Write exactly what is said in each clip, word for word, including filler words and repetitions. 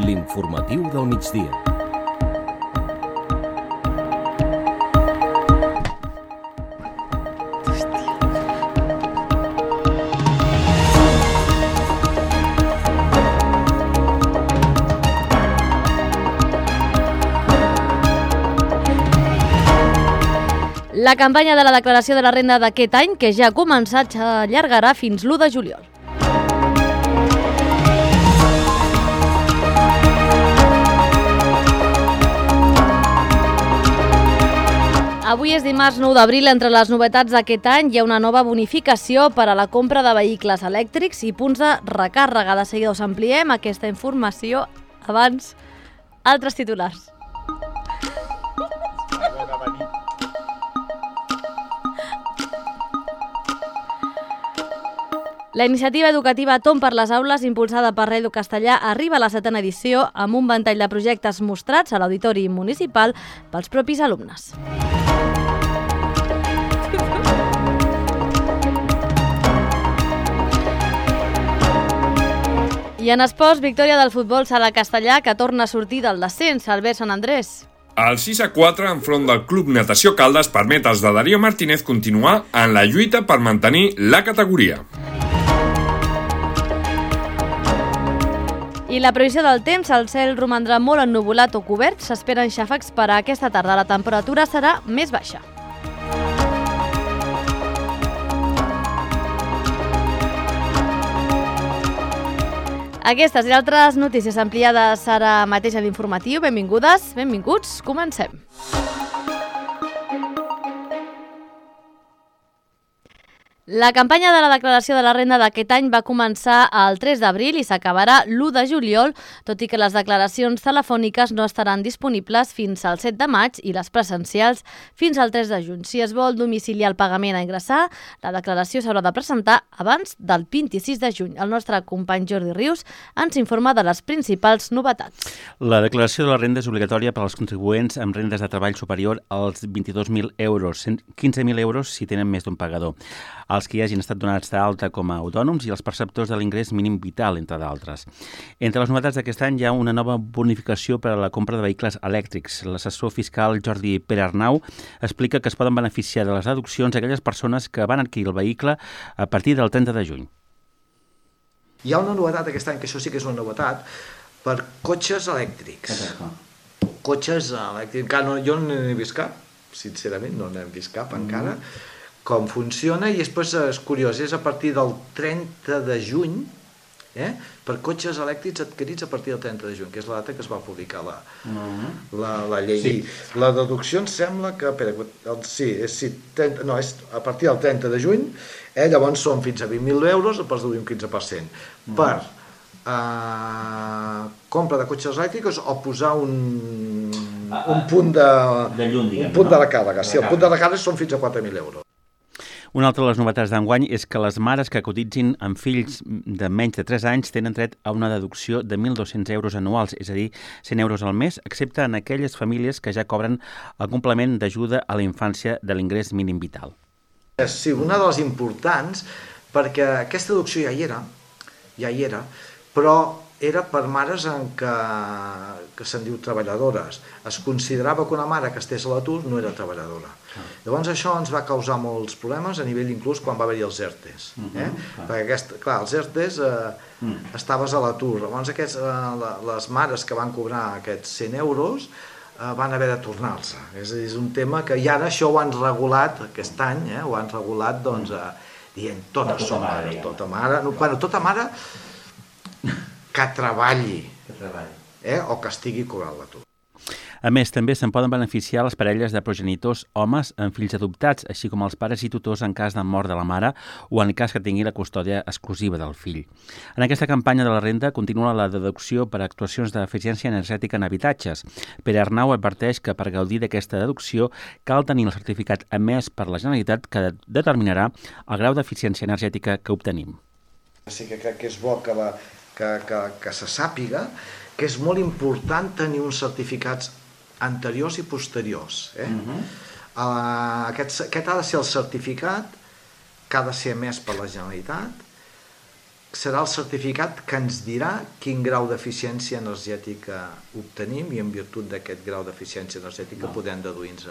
L'informatiu del migdia. La campanya de la declaració de la renda d'aquest any, que ja ha començat, s'allargarà fins l'u de juliol. Avui és dimarts nou d'abril. Entre les novetats d'aquest any hi ha una nova bonificació per a la compra de vehicles elèctrics i punts de recàrrega. De seguida us ampliem aquesta informació. Abans, altres titulars. La iniciativa educativa Tom per les aules, impulsada per Redu Castellà, arriba a la setena edició amb un ventall de projectes mostrats a l'Auditori Municipal pels propis alumnes. I en esports, victòria del futbol sala castellà, que torna a sortir del descens, Albert Sant Andrés. El sis a quatre enfront del Club Natació Caldes permet als de Darío Martínez continuar en la lluita per mantenir la categoria. I la previsió del temps, el cel romandrà molt ennuvolat o cobert, s'esperen xàfecs per a aquesta tarda. La temperatura serà més baixa. Aquestes i altres notícies ampliades ara mateix a l'informatiu. Benvingudes, benvinguts, comencem. La campanya de la declaració de la renda d'aquest any va començar el tres d'abril i s'acabarà l'u de juliol, tot i que les declaracions telefòniques no estaran disponibles fins al set de maig i les presencials fins al tres de juny. Si es vol domiciliar el pagament a ingressar, la declaració s'haurà de presentar abans del vint-i-sis de juny. El nostre company Jordi Rius ens informa de les principals novetats. La declaració de la renda és obligatòria per als contribuents amb rendes de treball superior als vint-i-dos mil euros, quinze mil euros si tenen més d'un pagador, els que hi hagin estat donats d'alta com a autònoms i els perceptors de l'ingrés mínim vital, entre d'altres. Entre les novetats d'aquest any hi ha una nova bonificació per a la compra de vehicles elèctrics. L'assessor fiscal Jordi Perarnau explica que es poden beneficiar de les deduccions aquelles persones que van adquirir el vehicle a partir del trenta de juny. Hi ha una novetat aquest any, que això sí que és una novetat, per cotxes elèctrics. Cotxes elèctrics. Encara no, jo no n'he vist cap, sincerament, no n'he vist cap encara. Mm. Com funciona, i després és curiós, és a partir del trenta de juny, eh, per cotxes elèctrics adquirits a partir del trenta de juny, que és la data que es va publicar la, uh-huh. la, la llei. Sí. La deducció em sembla que, espera, el, sí, és, sí, trenta, no, és a partir del trenta de juny, eh, llavors són fins a vint mil euros, pots deduir un quinze per cent. Uh-huh. Per eh, compra de cotxes elèctrics o posar un, un punt de, de llum, diguem, un punt no? de recàrrega. Sí, el punt de recàrrega són fins a quatre mil euros. Una altra de les novetats d'enguany és que les mares que cotitzin amb fills de menys de tres anys tenen dret a una deducció de mil dos-cents euros anuals, és a dir, cent euros al mes, excepte en aquelles famílies que ja cobren el complement d'ajuda a la infància de l'ingrés mínim vital. Sí, una de les importants, perquè aquesta deducció ja hi era, ja hi era, però era per mares en què, que se'n diu treballadores. Es considerava que una mare que estés a l'atur no era treballadora. Ah. Llavors això ens va causar molts problemes a nivell inclús quan va haver-hi els ERTEs. Eh? Uh-huh. Ah. Perquè aquest, clar, els ERTEs eh, uh. estaves a l'atur. Llavors aquests, eh, les mares que van cobrar aquests cent euros eh, van haver de tornar-se. És, és un tema que i ara això ho han regulat aquest any, eh? Ho han regulat doncs, eh, dient totes són mares, tota mare, no, bueno, tota mare que treballi, que treballi. Eh? O que estigui cobrant l'atur. A més, també se'n poden beneficiar les parelles de progenitors homes amb fills adoptats, així com els pares i tutors en cas de mort de la mare o en cas que tingui la custòdia exclusiva del fill. En aquesta campanya de la renda continua la deducció per a actuacions d'eficiència energètica en habitatges. Perarnau adverteix que per gaudir d'aquesta deducció cal tenir el certificat emès per la Generalitat que determinarà el grau d'eficiència energètica que obtenim. Sí que crec que és bo que, la, que, que, que se sàpiga que és molt important tenir uns certificats anteriors i posteriors. Eh? Uh-huh. uh, aquest, aquest ha de ser el certificat que ha de ser emès per la Generalitat serà el certificat que ens dirà quin grau d'eficiència energètica obtenim i en virtut d'aquest grau d'eficiència energètica no. podem deduir-nos.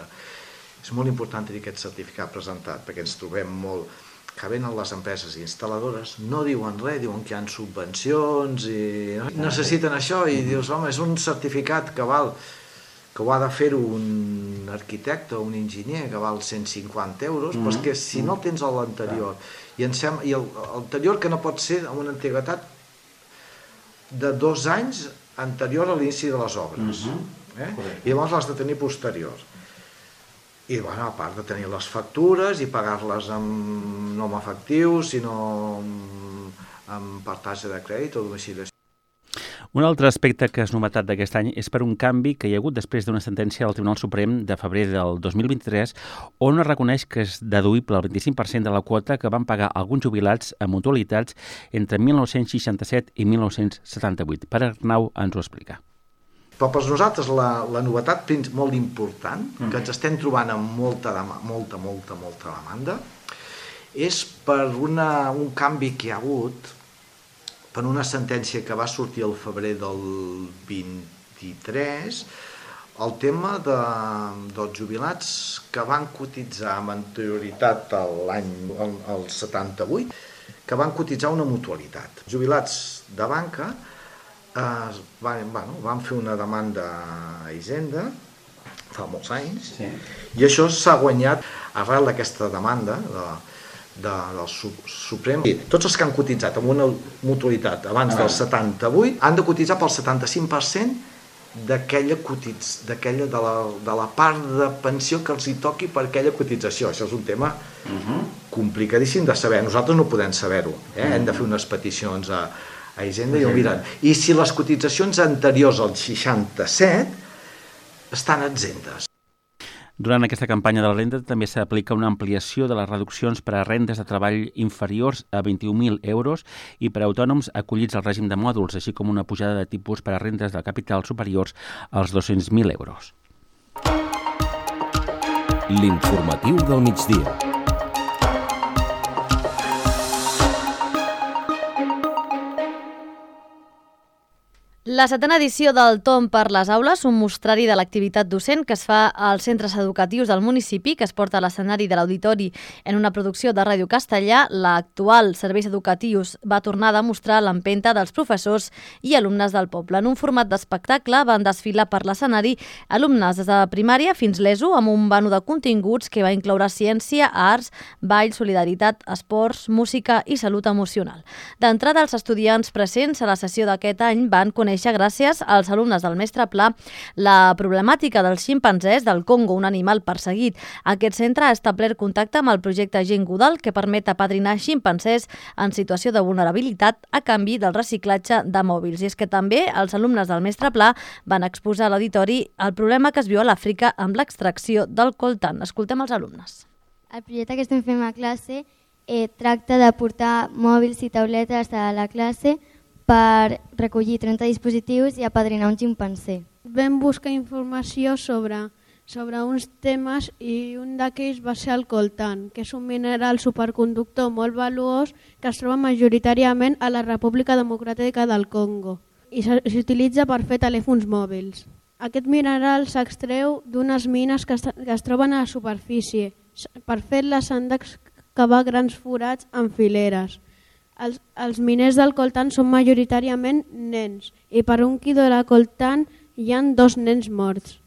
És molt important tenir aquest certificat presentat perquè ens trobem molt que venen les empreses instal·ladores, no diuen res, diuen que hi ha subvencions i necessiten això i dius, home, és un certificat que val que ho ha de fer un arquitecte o un enginyer que val cent cinquanta euros, mm-hmm. però és que si no tens l'anterior i, sem i l'anterior que no pot ser amb una antiguitat de dos anys anterior a l'inici de les obres, mm-hmm. eh? I llavors l'has de tenir posterior. I bueno, a part de tenir les factures i pagar-les amb, no amb efectiu, sinó amb, amb partatge de crèdit o domiciliació. Un altre aspecte que és novetat d'aquest any és per un canvi que hi ha hagut després d'una sentència del Tribunal Suprem de febrer del dos mil vint-i-tres on es reconeix que és deduïble el vint-i-cinc per cent de la quota que van pagar alguns jubilats a mutualitats entre mil nou-cents seixanta-set i mil nou-cents setanta-vuit. Pere Arnau ens ho explica. Però per nosaltres la, la novetat molt important, que ens estem trobant amb molta, molta, molta, molta demanda, és per una, un canvi que hi ha hagut per una sentència que va sortir al febrer del vint-i-tres, el tema de, dels jubilats que van cotitzar amb anterioritat a l'any el setanta-vuit, que van cotitzar una mutualitat. Jubilats de banca eh, van, bueno, van fer una demanda a Hisenda fa molts anys, sí. I això s'ha guanyat arrel d'aquesta demanda de De, del Suprem. Tots els que han cotitzat amb una mutualitat abans del setanta-vuit han de cotitzar pel setanta-cinc per cent d'aquella cotitz, d'aquella de, la, de la part de pensió que els hi toqui per aquella cotització. Això és un tema uh-huh. complicadíssim de saber. Nosaltres no podem saber-ho. Eh? Uh-huh. Hem de fer unes peticions a, a Hisenda uh-huh. i ho miren. I si les cotitzacions anteriors al seixanta-set estan exemptes. Durant aquesta campanya de la renda també s'aplica una ampliació de les reduccions per a rendes de treball inferiors a vint-i-un mil euros i per a autònoms acollits al règim de mòduls, així com una pujada de tipus per a rendes de capital superiors als dos-cents mil euros. L'informatiu del migdia. La setena edició del Tom per les aules, un mostrari de l'activitat docent que es fa als centres educatius del municipi, que es porta a l'escenari de l'auditori en una producció de Ràdio Castellà. L'actual serveis educatius va tornar a demostrar l'empenta dels professors i alumnes del poble. En un format d'espectacle van desfilar per l'escenari alumnes des de primària fins l'ESO amb un vano de continguts que va incloure ciència, arts, ball, solidaritat, esports, música i salut emocional. D'entrada, els estudiants presents a la sessió d'aquest any van conèixer gràcies als alumnes del mestre Pla la problemàtica dels ximpanzés del Congo, un animal perseguit. Aquest centre ha establert contacte amb el projecte Gent Godal, que permet apadrinar ximpanzés en situació de vulnerabilitat a canvi del reciclatge de mòbils. I és que també els alumnes del mestre Pla van exposar a l'auditori el problema que es viu a l'Àfrica amb l'extracció del coltan. Escoltem els alumnes. El projecte que estem fent a classe eh, tracta de portar mòbils i tauletes a la classe per recollir trenta dispositius i apadrinar un ximpanzé. Vam buscar informació sobre, sobre uns temes i un d'aquells va ser el coltan, que és un mineral superconductor molt valuós que es troba majoritàriament a la República Democràtica del Congo i s'utilitza per fer telèfons mòbils. Aquest mineral s'extreu d'unes mines que es, que es troben a la superfície. Per fer-les s'han d'excavar grans forats en fileres. Els, els miners del coltan són majoritàriament nens i per un quilo de coltan hi ha dos nens morts.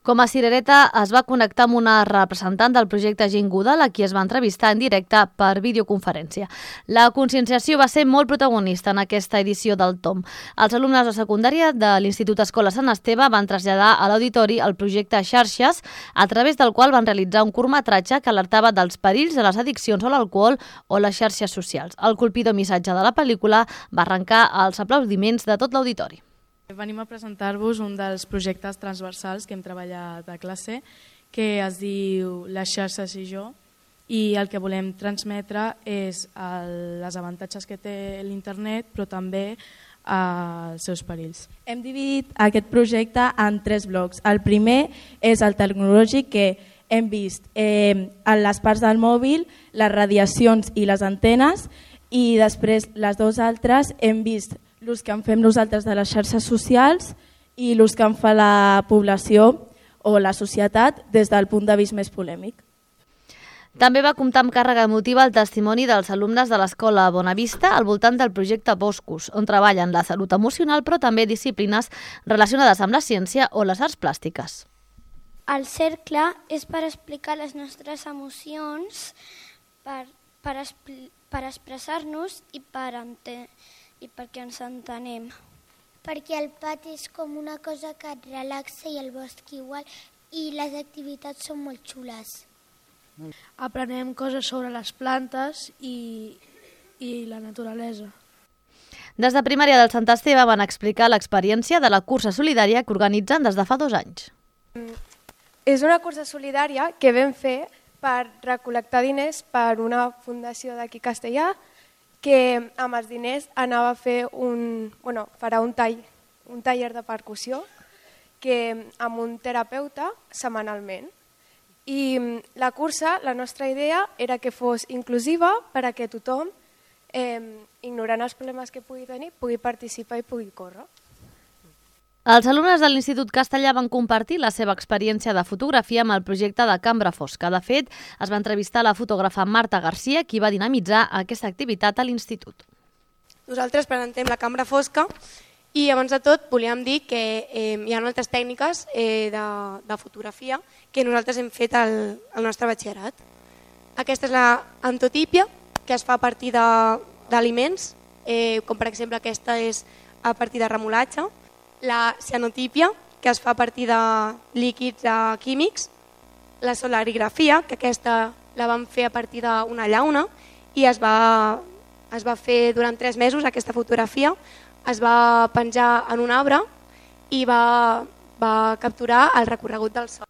Com a cirereta es va connectar amb una representant del projecte Gent Godal, a qui es va entrevistar en directe per videoconferència. La conscienciació va ser molt protagonista en aquesta edició del Tom. Els alumnes de secundària de l'Institut Escola Sant Esteve van traslladar a l'auditori el projecte Xarxes, a través del qual van realitzar un curtmetratge que alertava dels perills de les addiccions a l'alcohol o les xarxes socials. El colpidor missatge de la pel·lícula va arrencar els aplaudiments de tot l'auditori. Venim a presentar-vos un dels projectes transversals que hem treballat a classe, que es diu Les xarxes i jo, i el que volem transmetre és el, les avantatges que té l'internet, però també els seus perills. Hem dividit aquest projecte en tres blocs. El primer és el tecnològic, que hem vist eh, en les parts del mòbil, les radiacions i les antenes, i després les dues altres hem vist l'ús que en fem nosaltres de les xarxes socials i l'ús que en fa la població o la societat des del punt de vista més polèmic. També va comptar amb càrrega emotiva el testimoni dels alumnes de l'Escola Bonavista al voltant del projecte Boscos, on treballen la salut emocional però també disciplines relacionades amb la ciència o les arts plàstiques. El cercle és per explicar les nostres emocions, per, per, per expressar-nos i, per ente, i perquè ens entenem. Perquè el pati és com una cosa que et relaxa i el bosc igual, i les activitats són molt xules. Aprenem coses sobre les plantes i, i la naturalesa. Des de primària del Sant Esteve van explicar l'experiència de la cursa solidària que organitzen des de fa dos anys. És una cursa solidària que vam fer per recol·lectar diners per una fundació d'aquí a Castellà, que amb els diners anava a fer un, bueno, farà un, tall, un taller de percussió que, amb un terapeuta setmanalment. I la cursa, la nostra idea era que fos inclusiva per a que tothom, eh, ignorant els problemes que pugui tenir, pugui participar i pugui córrer. Els alumnes de l'Institut Castellà van compartir la seva experiència de fotografia amb el projecte de Cambra Fosca. De fet, es va entrevistar la fotògrafa Marta Garcia, qui va dinamitzar aquesta activitat a l'Institut. Nosaltres presentem la Cambra Fosca i abans de tot volíem dir que eh, hi ha altres tècniques eh, de, de fotografia que nosaltres hem fet al, al nostre batxillerat. Aquesta és la antotípia, que es fa a partir d'aliments, eh, com per exemple aquesta és a partir de remolatge, la cianotípia, que es fa a partir de líquids eh, químics, la solarigrafia, que aquesta la vam fer a partir d'una llauna i es va, es va fer durant tres mesos aquesta fotografia, es va penjar en un arbre i va, va capturar el recorregut del sol.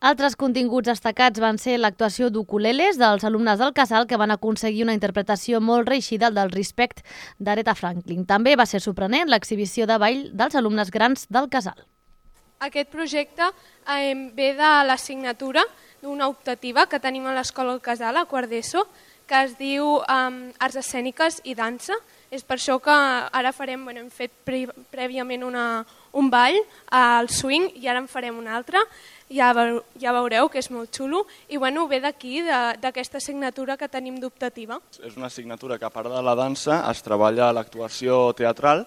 Altres continguts destacats van ser l'actuació d'ukuleles dels alumnes del Casal, que van aconseguir una interpretació molt reeixida del Respect d'Aretha Franklin. També va ser sorprenent l'exhibició de ball dels alumnes grans del Casal. Aquest projecte eh, ve de l'assignatura d'una optativa que tenim a l'Escola del Casal, a quart d'ESO, que es diu eh, Arts Escèniques i Dansa. És per això que ara farem, bueno, hem fet pre prèviament una, un ball al swing i ara en farem un altre. Ja, veu, ja veureu que és molt xulo i bueno, ve d'aquí, d'aquesta assignatura que tenim d'optativa. És una assignatura que a part de la dansa es treballa l'actuació teatral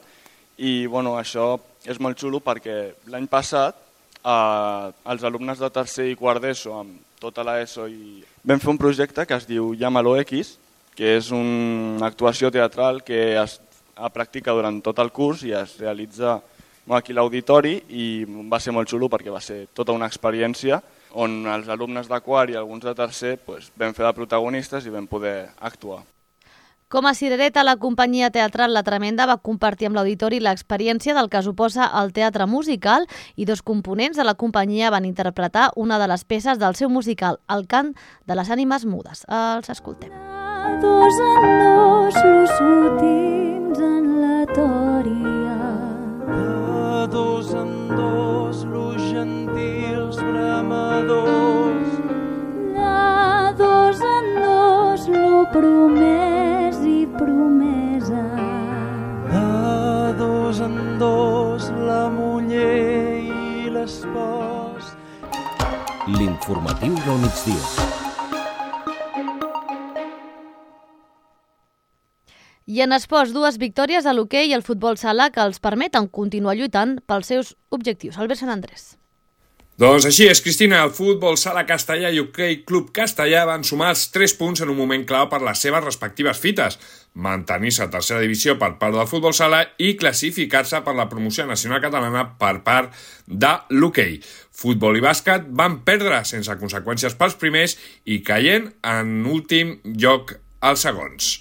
i bueno, això és molt xulo perquè l'any passat eh, els alumnes de tercer i quart d'ESO amb tota l'ESO i vam fer un projecte que es diu Llámalo X, que és una actuació teatral que es practica durant tot el curs i es realitza aquí a l'auditori i va ser molt xulo perquè va ser tota una experiència on els alumnes de quart i alguns de tercer pues, vam fer de protagonistes i vam poder actuar. Com a cirereta, la companyia teatral La Tremenda va compartir amb l'auditori l'experiència del que suposa el teatre musical i dos components de la companyia van interpretar una de les peces del seu musical, El cant de les ànimes mudes. Els escoltem. Dos en dos, los últims en la tòria. De dos en dos, los gentils bramadors. De dos en dos, lo promès i promesa. De dos en dos, la muller i l'espòs. L'informatiu del migdia. I en esports, dues victòries a l'hoquei i el futbol sala que els permeten continuar lluitant pels seus objectius. Albert Sant Andrés. Doncs així és, Cristina. El futbol sala castellà i hoquei Club Castellà van sumar els tres punts en un moment clau per les seves respectives fites, mantenir-se a tercera divisió per part del futbol sala i classificar-se per la promoció nacional catalana per part de l'hoquei. Futbol i bàsquet van perdre sense conseqüències pels primers i caient en últim lloc als segons.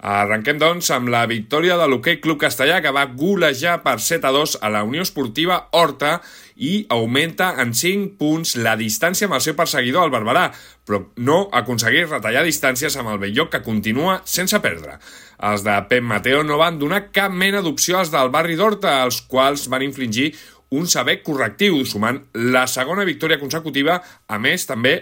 Arrenquem, doncs, amb la victòria de l'Hoquei Club Castellà, que va golejar per set a dos a la Unió Esportiva Horta i augmenta en cinc punts la distància amb el seu perseguidor, el Barberà, però no aconsegueix retallar distàncies amb el Belllloc, que continua sense perdre. Els de Pep Mateo no van donar cap mena d'opció als del barri d'Horta, els quals van infligir un sever correctiu, sumant la segona victòria consecutiva, a més també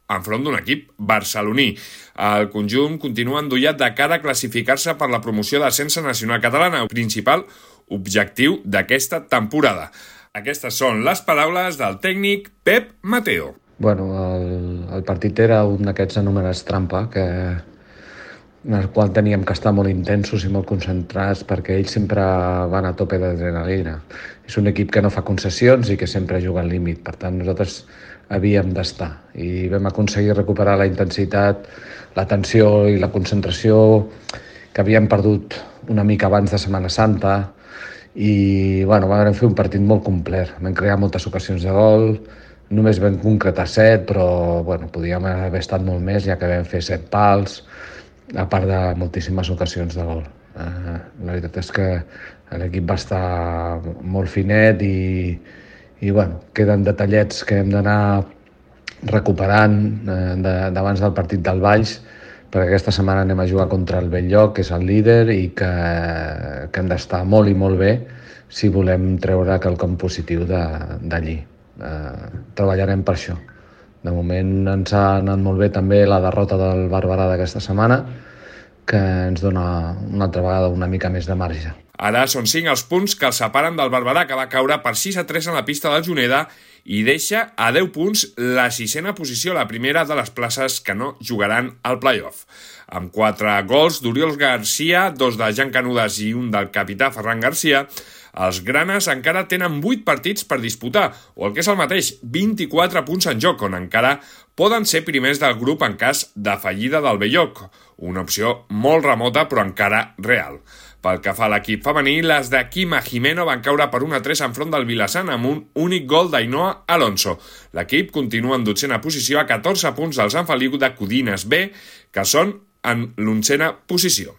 enfront d'un equip barceloní. El conjunt continua endollat de cara a classificar-se per la promoció d'ascens nacional catalana, el principal objectiu d'aquesta temporada. Aquestes són les paraules del tècnic Pep Mateo. Bueno, el, el partit era un d'aquests anomenats trampa, que, en el qual teníem que estar molt intensos i molt concentrats perquè ells sempre van a tope d'adrenalina. És un equip que no fa concessions i que sempre juga al límit, per tant nosaltres havíem d'estar i vam aconseguir recuperar la intensitat, la tensió i la concentració que havíem perdut una mica abans de Setmana Santa i bueno, vam fer un partit molt complet, vam crear moltes ocasions de gol, només vam concretar set, però bueno, podíem haver estat molt més, ja que vam fer set pals, a part de moltíssimes ocasions de gol. Eh, la veritat és que l'equip va estar molt finet i, i bueno, queden detallets que hem d'anar recuperant eh, d'abans del partit del Valls, perquè aquesta setmana anem a jugar contra el Belllloc, que és el líder, i que, que hem d'estar molt i molt bé si volem treure quelcom positiu d'allí. Eh, treballarem per això. De moment ens ha anat molt bé també la derrota del Barberà d'aquesta setmana, que ens dona una altra vegada una mica més de marge. Ara són cinc els punts que el separen del Barberà, que va caure per sis a tres en la pista del Juneda i deixa a deu punts la sisena posició, la primera de les places que no jugaran al play-off. Amb quatre gols d'Oriol Garcia, dos de Jan Canudas i un del capità Ferran Garcia, els granes encara tenen vuit partits per disputar, o el que és el mateix, vint-i-quatre punts en joc, on encara poden ser primers del grup en cas de fallida del Belllloc, una opció molt remota però encara real. Pel que fa a l'equip femení, les de Quima Jimeno van caure per un a tres enfront del Vilassant amb un únic gol d'Ainoa Alonso. L'equip continua en dotzena posició a catorze punts del Sant Feliu de Codines B, que són en l'onzena posició.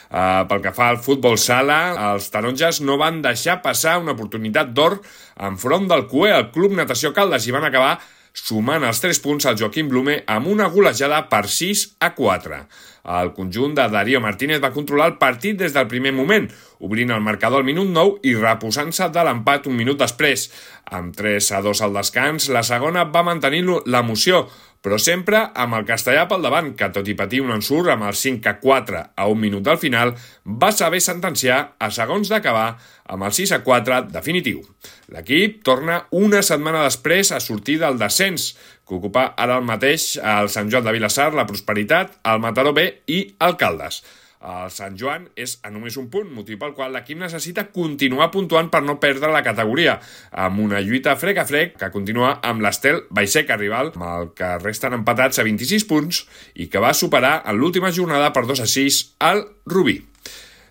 Uh, pel que fa al futbol sala, els taronges no van deixar passar una oportunitat d'or enfront del C U E, el Club Natació Caldes, i van acabar sumant els tres punts al Joaquim Blume amb una golejada per sis a quatre. El conjunt de Darío Martínez va controlar el partit des del primer moment, obrint el marcador al minut nou i reposant-se de l'empat un minut després. Amb tres a dos al descans, la segona va mantenir l'emoció, però sempre amb el castellà pel davant, que tot i patir un ensurt amb el cinc a quatre a un minut del final, va saber sentenciar a segons d'acabar amb el sis a quatre definitiu. L'equip torna una setmana després a sortir del descens, que ocupa ara el mateix el Sant Joan de Vilassar, la Prosperitat, el Mataró B i el Caldes. El Sant Joan és a només un punt, motiu pel qual l'equip necessita continuar puntuant per no perdre la categoria, amb una lluita frec a frec que continua amb l'Estel Baixeca rival, amb el que resten empatats a vint-i-sis punts i que va superar en l'última jornada per dos a sis al Rubí.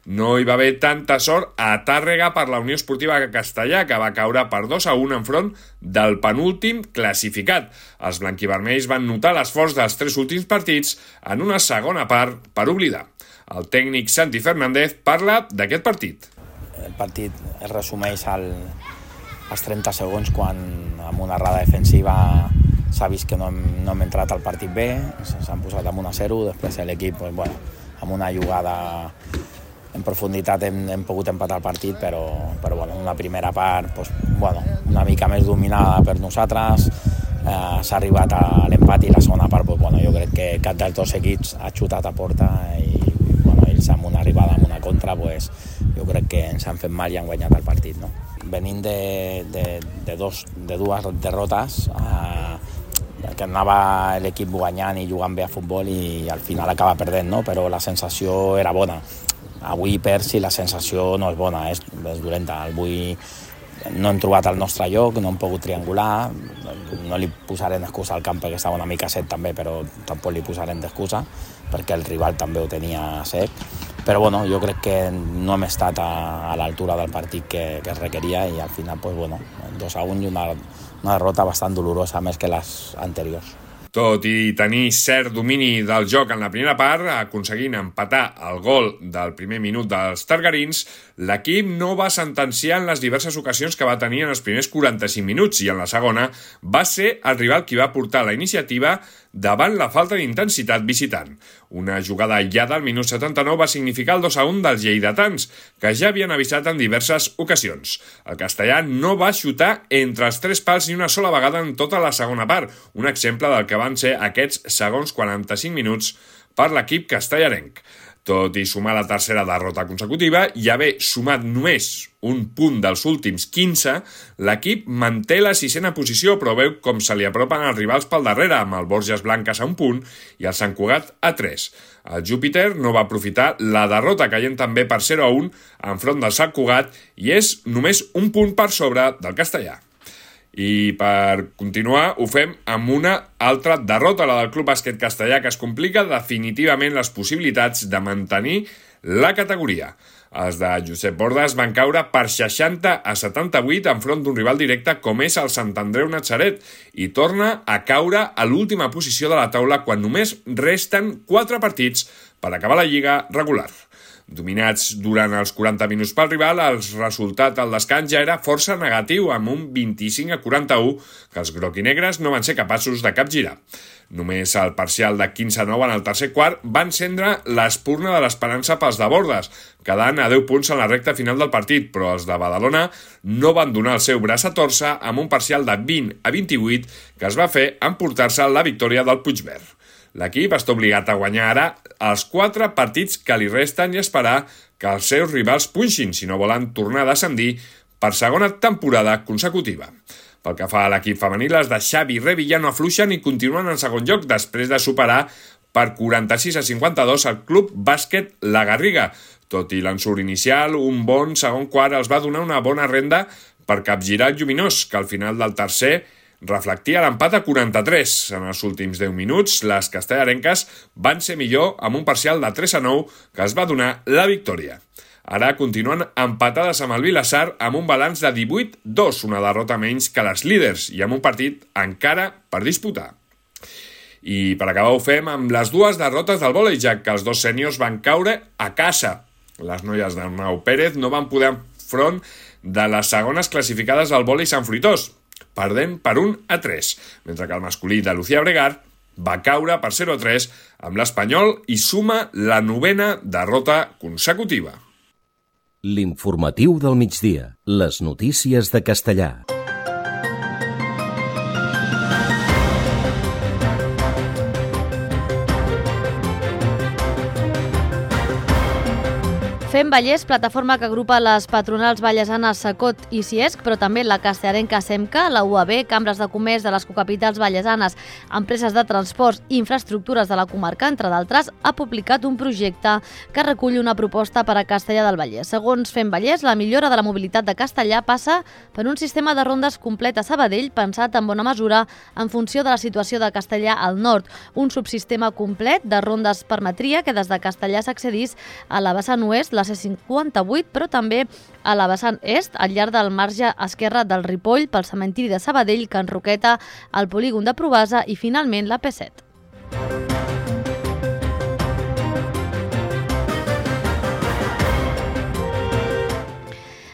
No hi va haver tanta sort a Tàrrega per la Unió Esportiva Castellà, que va caure per dos a un enfront del penúltim classificat. Els blanquivermells van notar l'esforç dels tres últims partits en una segona part per oblidar. El tècnic Santi Fernández parla d'aquest partit. El partit es resumeix al, als trenta segons, quan amb una errada defensiva s'ha vist que no hem, no hem entrat al partit bé, s'han posat amb un a zero, després l'equip, pues, bueno, amb una jugada en profunditat hem, hem pogut empatar el partit, però, però bueno, una primera part pues, bueno, una mica més dominada per nosaltres, eh, s'ha arribat a l'empat, i la segona part pues, bueno, jo crec que cap dels dos equips ha xutat a porta i bueno, ells amb una arribada, amb una contra, pues, jo crec que ens han fet mal i han guanyat el partit. No? Venint de, de, de, dos, de dues derrotes, eh, que anava l'equip guanyant i jugant bé a futbol i al final acaba perdent, no? Però la sensació era bona. Avui perds i la sensació no és bona, és, és dolenta. Avui no hem trobat el nostre lloc, no hem pogut triangular, no li posarem excusa al camp perquè estava una mica sec també, però tampoc li posarem d'excusa perquè el rival també ho tenia sec. Però bueno, jo crec que no hem estat a, a l'altura del partit que, que es requeria i al final pues, bueno, dos a un i una, una derrota bastant dolorosa més que les anteriors. Tot i tenir cert domini del joc en la primera part, aconseguint empatar el gol del primer minut dels targarins, l'equip no va sentenciar en les diverses ocasions que va tenir en els primers quaranta-cinc minuts i en la segona va ser el rival qui va portar la iniciativa davant la falta d'intensitat visitant. Una jugada aïllada al minut setanta-nou va significar el dos a un dels lleidatans, que ja havien avisat en diverses ocasions. El castellà no va xutar entre els tres pals ni una sola vegada en tota la segona part, un exemple del que van ser aquests segons quaranta-cinc minuts per l'equip castellarenc. Tot i sumar la tercera derrota consecutiva i haver sumat només un punt dels últims quinze, l'equip manté la sisena posició, però veu com se li apropen els rivals pel darrere, amb el Borges Blanques a un punt i el Sant Cugat a tres. El Júpiter no va aprofitar la derrota, caient també per zero a un enfront del Sant Cugat i és només un punt per sobre del castellà. I per continuar ho fem amb una altra derrota, la del Club Bàsquet Castellà, que es complica definitivament les possibilitats de mantenir la categoria. Els de Josep Bordes van caure per seixanta a setanta-vuit enfront d'un rival directe com és el Sant Andreu Natzaret i torna a caure a l'última posició de la taula quan només resten quatre partits per acabar la lliga regular. Dominats durant els quaranta minuts pel rival, el resultat al descans ja era força negatiu, amb un vint-i-cinc a quaranta-u que els groc-i-negres no van ser capaços de capgirar. Només el parcial de quinze a nou en el tercer quart va encendre l'espurna de l'esperança pels de Bordes, quedant a deu punts en la recta final del partit, però els de Badalona no van donar el seu braç a torça amb un parcial de vint a vint-i-vuit que es va fer emportar-se la victòria del Puigverd. L'equip està obligat a guanyar ara els quatre partits que li resten i esperar que els seus rivals punxin si no volen tornar a descendir per segona temporada consecutiva. Pel que fa a l'equip femení, les de Xavi Revilla no afluixen i continuen en segon lloc després de superar per quaranta-sis a cinquanta-dos el Club Bàsquet La Garriga. Tot i l'ensurt inicial, un bon segon quart els va donar una bona renda per capgirar el Lluminós, que al final del tercer reflectia l'empat a quaranta-tres. En els últims deu minuts, les castellarenques van ser millor amb un parcial de tres a nou que es va donar la victòria. Ara continuen empatades amb el Vilassar amb un balanç de divuit a dos, una derrota menys que les líders i amb un partit encara per disputar. I per acabar ho fem amb les dues derrotes del vòlei, ja que els dos sèniors van caure a casa. Les noies d'Arnau Pérez no van poder enfront de les segones classificades del vòlei Sant Fruitós, perdent per un a tres, mentre que el masculí de Lucía Bregar va caure per zero a tres amb l'Espanyol i suma la novena derrota consecutiva. L'informatiu del migdia. Les notícies de Castellà. Fem Vallès, plataforma que agrupa les patronals vallesanes Sacot i Ciesc, però també la castellarenca SEMCA, la U A B, cambres de comerç de les cocapitals vallesanes, empreses de transports i infraestructures de la comarca, entre d'altres, ha publicat un projecte que recull una proposta per a Castellar del Vallès. Segons Fem Vallès, la millora de la mobilitat de Castellar passa per un sistema de rondes complet a Sabadell pensat en bona mesura en funció de la situació de Castellar al nord. Un subsistema complet de rondes permetria que des de Castellar s'accedís a la vessant oest, la C cinquanta-vuit, però també a la vessant est, al llarg del marge esquerre del Ripoll, pel cementiri de Sabadell, Can Roqueta, el polígon de Provasa i, finalment, la P set.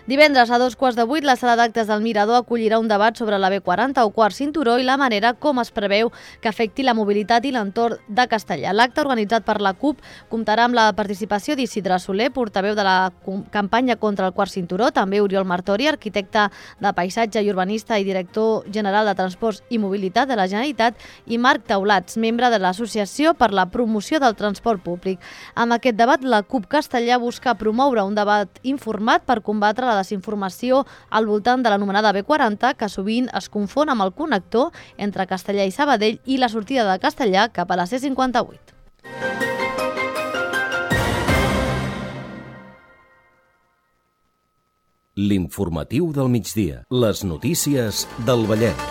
Divendres a dos quarts de vuit, la sala d'actes del Mirador acollirà un debat sobre la B quaranta o quart cinturó i la manera com es preveu que afecti la mobilitat i l'entorn de Castellar. L'acte organitzat per la CUP comptarà amb la participació d'Isidre Soler, portaveu de la campanya contra el quart cinturó, també Oriol Martori, arquitecte de paisatge i urbanista i director general de Transports i Mobilitat de la Generalitat, i Marc Taulats, membre de l'Associació per la Promoció del Transport Públic. Amb aquest debat, la CUP Castellar busca promoure un debat informat per combatre la desinformació al voltant de l'anomenada B quaranta, que sovint es confon amb el connector entre Castellar i Sabadell i la sortida de Castellar cap a la C cinquanta-vuit. L'informatiu del migdia. Les notícies del Vallès.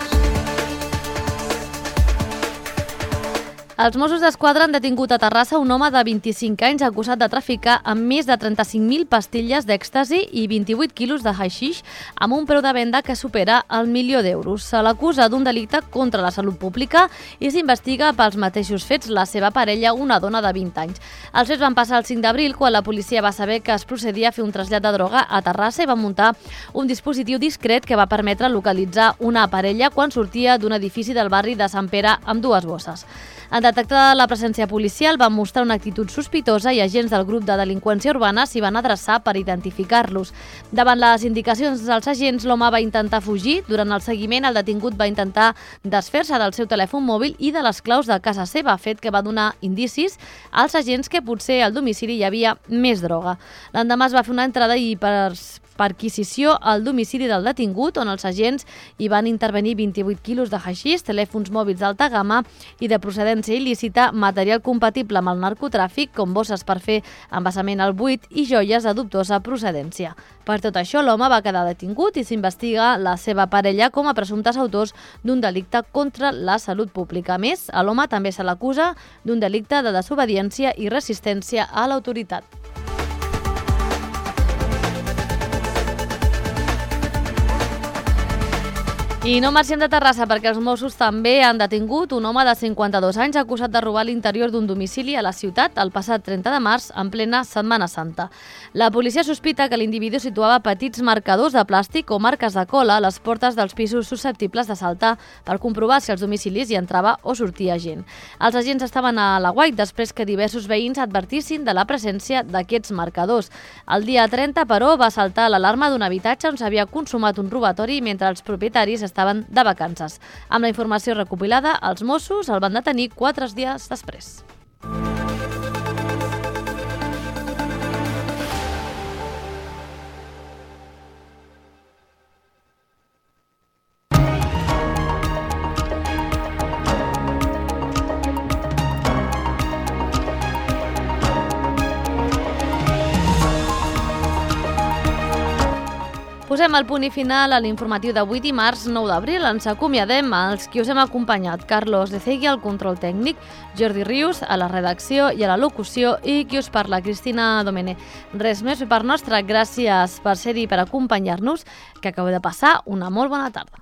Els Mossos d'Esquadra han detingut a Terrassa un home de vint-i-cinc anys acusat de traficar amb més de trenta-cinc mil pastilles d'èxtasi i vint-i-vuit quilos de haixix amb un preu de venda que supera el milió d'euros. Se l'acusa d'un delicte contra la salut pública i s'investiga pels mateixos fets la seva parella, una dona de vint anys. Els fets van passar el cinc d'abril quan la policia va saber que es procedia a fer un trasllat de droga a Terrassa i va muntar un dispositiu discret que va permetre localitzar una parella quan sortia d'un edifici del barri de Sant Pere amb dues bosses. En detectar la presència policial van mostrar una actitud sospitosa i agents del grup de delinqüència urbana s'hi van adreçar per identificar-los. Davant les indicacions dels agents, l'home va intentar fugir. Durant el seguiment, el detingut va intentar desfer-se del seu telèfon mòbil i de les claus de casa seva, fet que va donar indicis als agents que potser al domicili hi havia més droga. L'endemà es va fer una entrada i per perquisició al domicili del detingut, on els agents hi van intervenir vint-i-vuit quilos de haixís, telèfons mòbils d'alta gamma i de procedència il·lícita, material compatible amb el narcotràfic, com bosses per fer envasament al buit i joies de dubtosa procedència. Per tot això, l'home va quedar detingut i s'investiga la seva parella com a presumptes autors d'un delicte contra la salut pública. A més, a l'home també se l'acusa d'un delicte de desobediència i resistència a l'autoritat. I no marxem de Terrassa perquè els Mossos també han detingut un home de cinquanta-dos anys acusat de robar l'interior d'un domicili a la ciutat el passat trenta de març en plena Setmana Santa. La policia sospita que l'individu situava petits marcadors de plàstic o marques de cola a les portes dels pisos susceptibles de saltar per comprovar si als domicilis hi entrava o sortia gent. Els agents estaven a l'aguait després que diversos veïns advertissin de la presència d'aquests marcadors. El dia trenta, però, va saltar l'alarma d'un habitatge on s'havia consumat un robatori mentre els propietaris estaven de vacances. Amb la informació recopilada, els Mossos el van detenir quatre dies després. Posem el punt i final a l'informatiu d'avui dimarts nou d'abril. Ens acomiadem als qui us hem acompanyat. Carlos Decegui al control tècnic, Jordi Rius a la redacció i a la locució i qui us parla, Cristina Domènech. Res més per nostra, gràcies per ser-hi, per acompanyar-nos, que acabeu de passar una molt bona tarda.